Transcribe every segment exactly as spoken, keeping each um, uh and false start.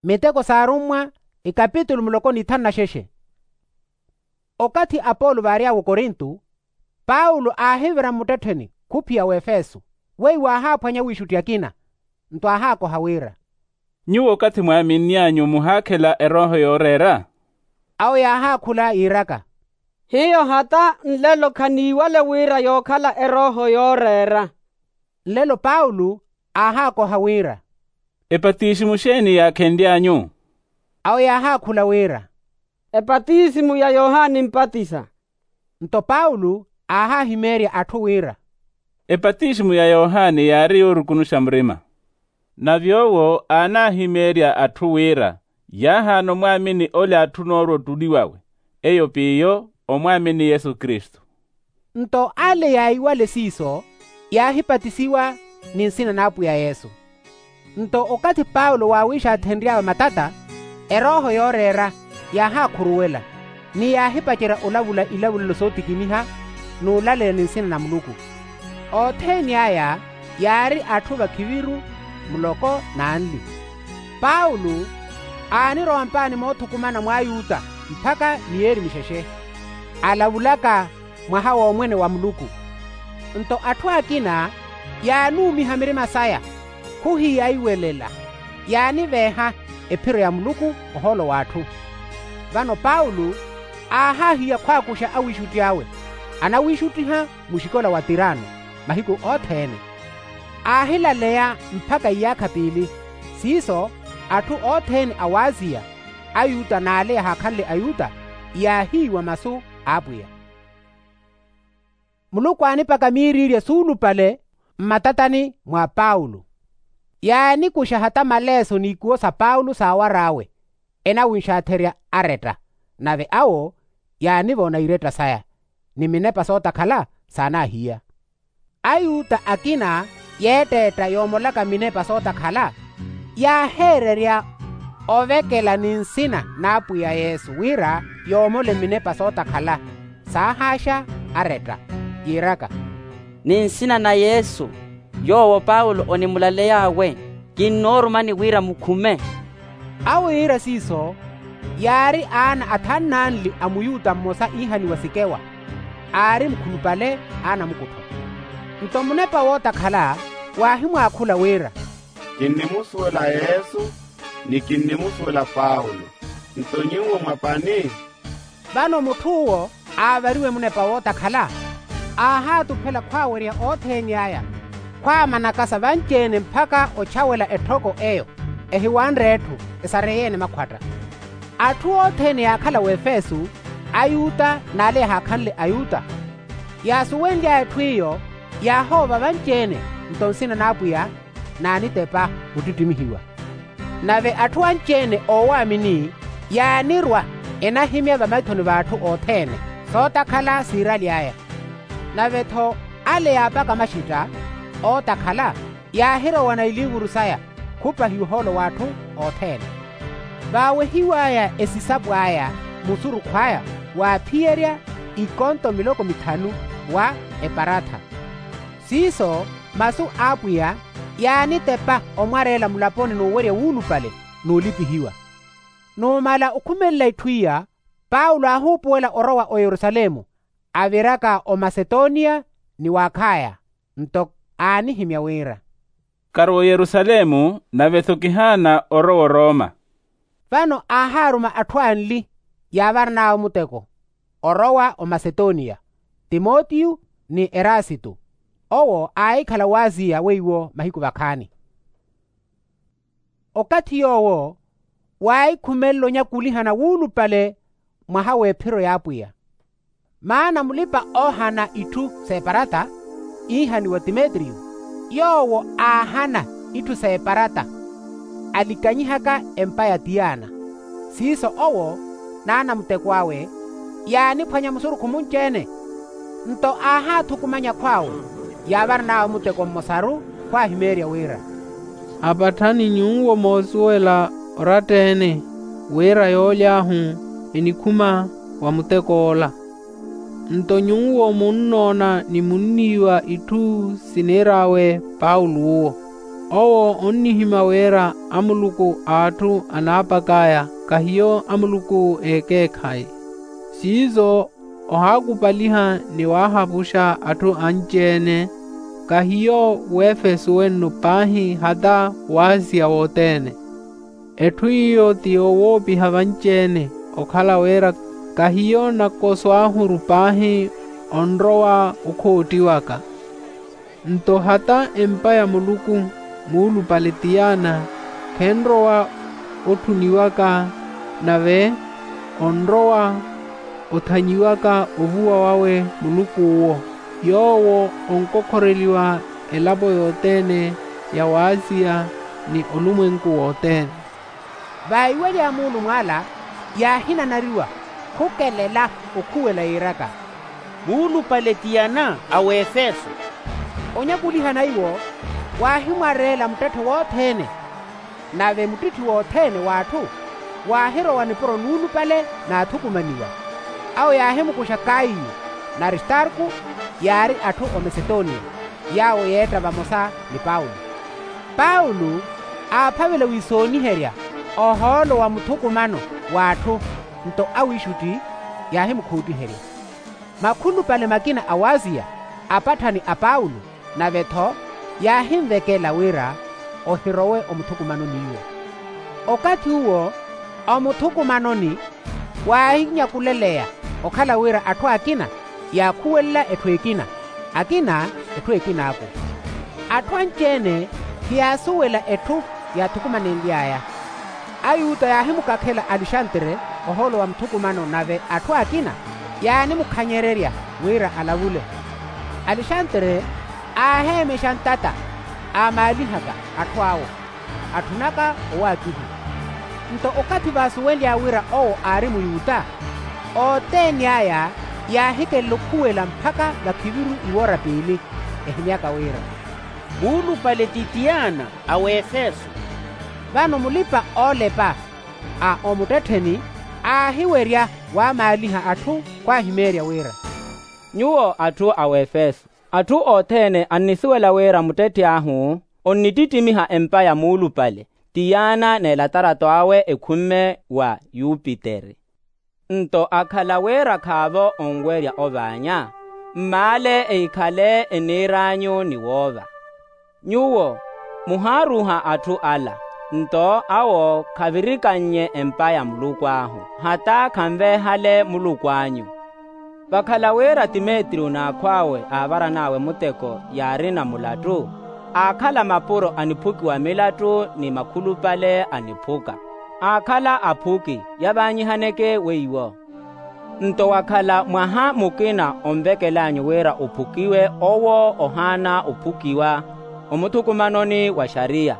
Miteko s'arummwa, ikapitulu muloko n'ithanu na xexe. Okathi apolo vaary'awe okorinto, paulo aahivira mmuttettheni khuphiya w'efeso, weiwo aahaaphwanya awiixutti akina. Nto aahaakoha wira, nyuwo okathi mwaaminny'anyu muhaakhela erooho yooreera? Awo yaahaakhula yiiraka, hiyo hata nlelo khaniiwale wira yookhala erooho yooreera. Nlelo paulo aahaakoha wira, epatisimu xeeni yaakhenly'anyu? Awo yaahaakhula wira, epatisimu ya yohani mpatisa. Nto paulo aahaahimeerya atthu wira, epatisimu ya yohani yaari yoorukunuxa murima. Nave owo aanaahimeerya atthu wira yaahaana omwaamini ole atthuna oorwa ottuliw'awe, eyo p'iyo omwaamini yesu kristu. Nto ale yaahiwale siiso, yaahipatisiwa ni nsina n'apwiya yesu. Nto okathi paulo waawiixaathenry'awe matata, erooho yooreera yaahakhuruwela, ni yaahipacerya olavula ilavulelo sootikiniha n'ulaleya ni nsina na muluku. Othene aya yaari atthu vakhiviru, muloko n'anli. Paulo aanirowa mpaani moothukumana mw'ayuta mpakha miyeeri mixexe, alavulaka mwaha w'omwene wa muluku. Nto atthu akina yaanuumiha mirima saya, khuhiyaiwelela, yaaniveeha ephiro ya muluku ohoolo w'atthu. Vano paulo aahaahiya khwaakuxa awiixutti awe, anawiixuttiha muxikola wa tirano mahiku othene. Aahilaleya mpakha iyaakha piili. Siiso atthu othene a waaziya, ayuta n'ale yahaakhanle ayuta, yaahiiwa masu a apwiya. Muluku aanipaka miiriirya suulupale mmatatani mwa paulo. Yaanikuxa hata maleeso n'ikuwo sa paulo saawar'awe, enawinxaatherya aretta. Nave awo yaanivona iretta saya, ni minepa sootakhala saanaahiya. Ayuta akina yeetteetta yoomolaka minepa sootakhala, yaaheererya ovekela ni nsina n'apwiya yesu wira yoomole minepa sootakhala. Saahaaxa aretta, yiiraka, ni nsina na yesu, yoowo paulo onimulaley'awe, kinnoorumani wira mukhume. Awo yiira siiso, yaari aana athanu n'anli a muyuta mmosa iihaniwa sikewa, aari mukhulupale aanamukuttho. Nto munepa wootakhala waahimwaakhula wira, kinnimusuwela yesu, ni kinnimusuwela paulo. Nto nyuwo mwa pani? Vano mutth'uwo aavariwe munepa wootakhala, aahaatuphela khwaawerya othene aya, khwaamanakasa vanci-ene mpakha ochawela etthoko eyo, ehiwanre etthu esareye-ene makhwatta. Atthu othene yaakhala w'efeso, ayuta n'ale yahaakhanle ayuta, yaasuwenly'aya etthu iyo, yaahoova vanci-ene. Nto nsina n'apwiya naanitepa muttittimihiwa. Nave atthu anci-ene oowaamini yaanirwa, enahimya vamaithoni v'atthu othene sootakhala siiraly'aya. Nave-tho ale yaapaka maxetta ootakhala, yaahirowana iliivuru saya khupahiwa ohoolo w'atthu othene. Vaawehiw'aya esisapo aya musurukhu aya, waaphiyerya ikonto miloko mithanu wa eparatha. Siiso masu a apwiya yaanitepa omwareela mulaponi n'uwerya wuulupale n'ulipihiwa. Numala okhumelela itthu iya, paulo aahuupuwela orowa oyerusalemu, aviraka omasetoniya ni w'akhaya. Nto aanihimya wira, karowa oyerusalemu, nave-tho kihaana orowa oroma. Vano aahaaruma atthu anli yaavarn'awe muteko, orowa omasetoniya, timotiyo ni erasito. Owo aahikhala w'aziya weiwo mahiku vakhaani. Okathi yoowo waahikhumelela onyakulihana wuulupale mwaha w'ephiro y'apwiya. Maana mulipa-oohana itthu s'eparata, iihaniwa timetriyo, yoowo aahana itthu s'eparata, alikanyihaka empa ya tiyana. Siiso owo n'anamuteko awe yaaniphwanya musurukhu munci-ene. Nto aahaathukumanya akhw'awe, yaavarn'awe muteko mmosaru khwaahimeerya wira, apatthani nyuwo moosuwela oratta-ene wira yooly'ahu enikhuma wa mutek'ola. Nto nyuwo munnoona ni munniiwa itthu siniir'awe paulo uwo. Owo onnihimya wira amuluku a atthu anaapak'aya kahiyo amuluku a ekeekhayi. Siiso ohaakupaliha ni waahapuxa atthu anci-ene kahiyo w'efesu wenno paahi hata w'asiya wothene. Etthu iyo ti yowoopiha vanci-ene okhala wira kahiyo nakosw'ahuru paahi onrowa okhoottiwaka. Nto hata empa ya muluku muulupale tiyana khenrowa otthuniwaka nave onrowa othanyiwaka ovuwa wawe muluk'uwo yoowo onkokhoreliwa elapo yothene ya w'asiya ni olumwenku wothene. Vaiwelya muulumw'ala yaahinanariwa khukelela okhuwela yiiraka, muulupale tiyana a w'efeso. Onyakulihana iwo waahimwareela muttetthe wothene. Nave muttitthi wothene w'atthu waahirowa nipuro nuulupale naathukumaniwa. Awo yaahimukuxa kaiyu n'aristarku yaari atthu omasetonia yaawo yeetta vamosa ni paulo. Paulo aaphavela wiisooniherya ohoolo wa muthukumano w'atthu. Nto awiixutti yaahimukhuuttiherya makhulupale makina a w'asiya apatthani a paulo. Nave-tho yaahinvekela wira ohirowe omuthukumanoni iwo. Okathi uwo omuthukumanoni waahinyakuleleya okhala wira atthu akina yaakhuwelela etthu ekina, akina etthu ekin'aku. Atthu anci-ene khiyaasuwela etthu yaathukumanenly'aya. Ayuta yaahimukakhela alexandre ohoolo wa muthukumano nave atthu akina yaanimukhanyererya wira alavule. Alexandre aaheemexa ntata aamaalihaka atthu awo atthunaka owaakihiwa. Nto okathi vaasuwenly'aya wira owo aari muyuta othene aya yaahikelela okhuwela mpakha vakhiviru iwoora piili ehimyaka wira muulupale ti tiyana a w'efeso. Vano mulipa-oolepa a omuttettheni aahiwerya waamaaliha atthu khwaahimeerya wira nyuwo atthu a w'efeso, atthu othene annisuwela wira muttetthi ahu onnittittimiha empa ya muulupale tiyana n'elatarato awe ekhumme wa yupiteri. Nto akhala wira khaavo onwerya ovaanya mmaale ehikhale eniir'anyu ni woova. Nyuwo muhaaruuha atthu ala nto awo khavirikannye empa ya muluku ahu hata khanveehale muluku anyu. Vakhala wira timetrio n'akhw'awe aavaran'awe muteko yaarina mulattu aakhala mapuro a niphukiwa milattu ni makhulupale a niphuka aakhala aphuki yavaanyihaneke weiwo. Nto wakhala mwaha mukina onvekel'anyu wira ophukiwe owo ohaana ophukiwa omuthukumanoni wa xariya.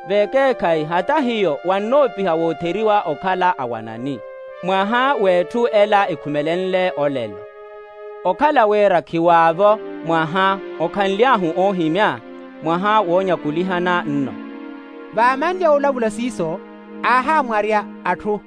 Vekeekhayi hata hiyo wannoopiha wootheriwa okhala awanani mwaha w'etthu ela ekhumelenle olelo. Okhala wira khiwaavo mwaha okhanly'ahu oohimya mwaha woonyakulihana nno. Vaamanlya olavula siiso aahaamwarya atthu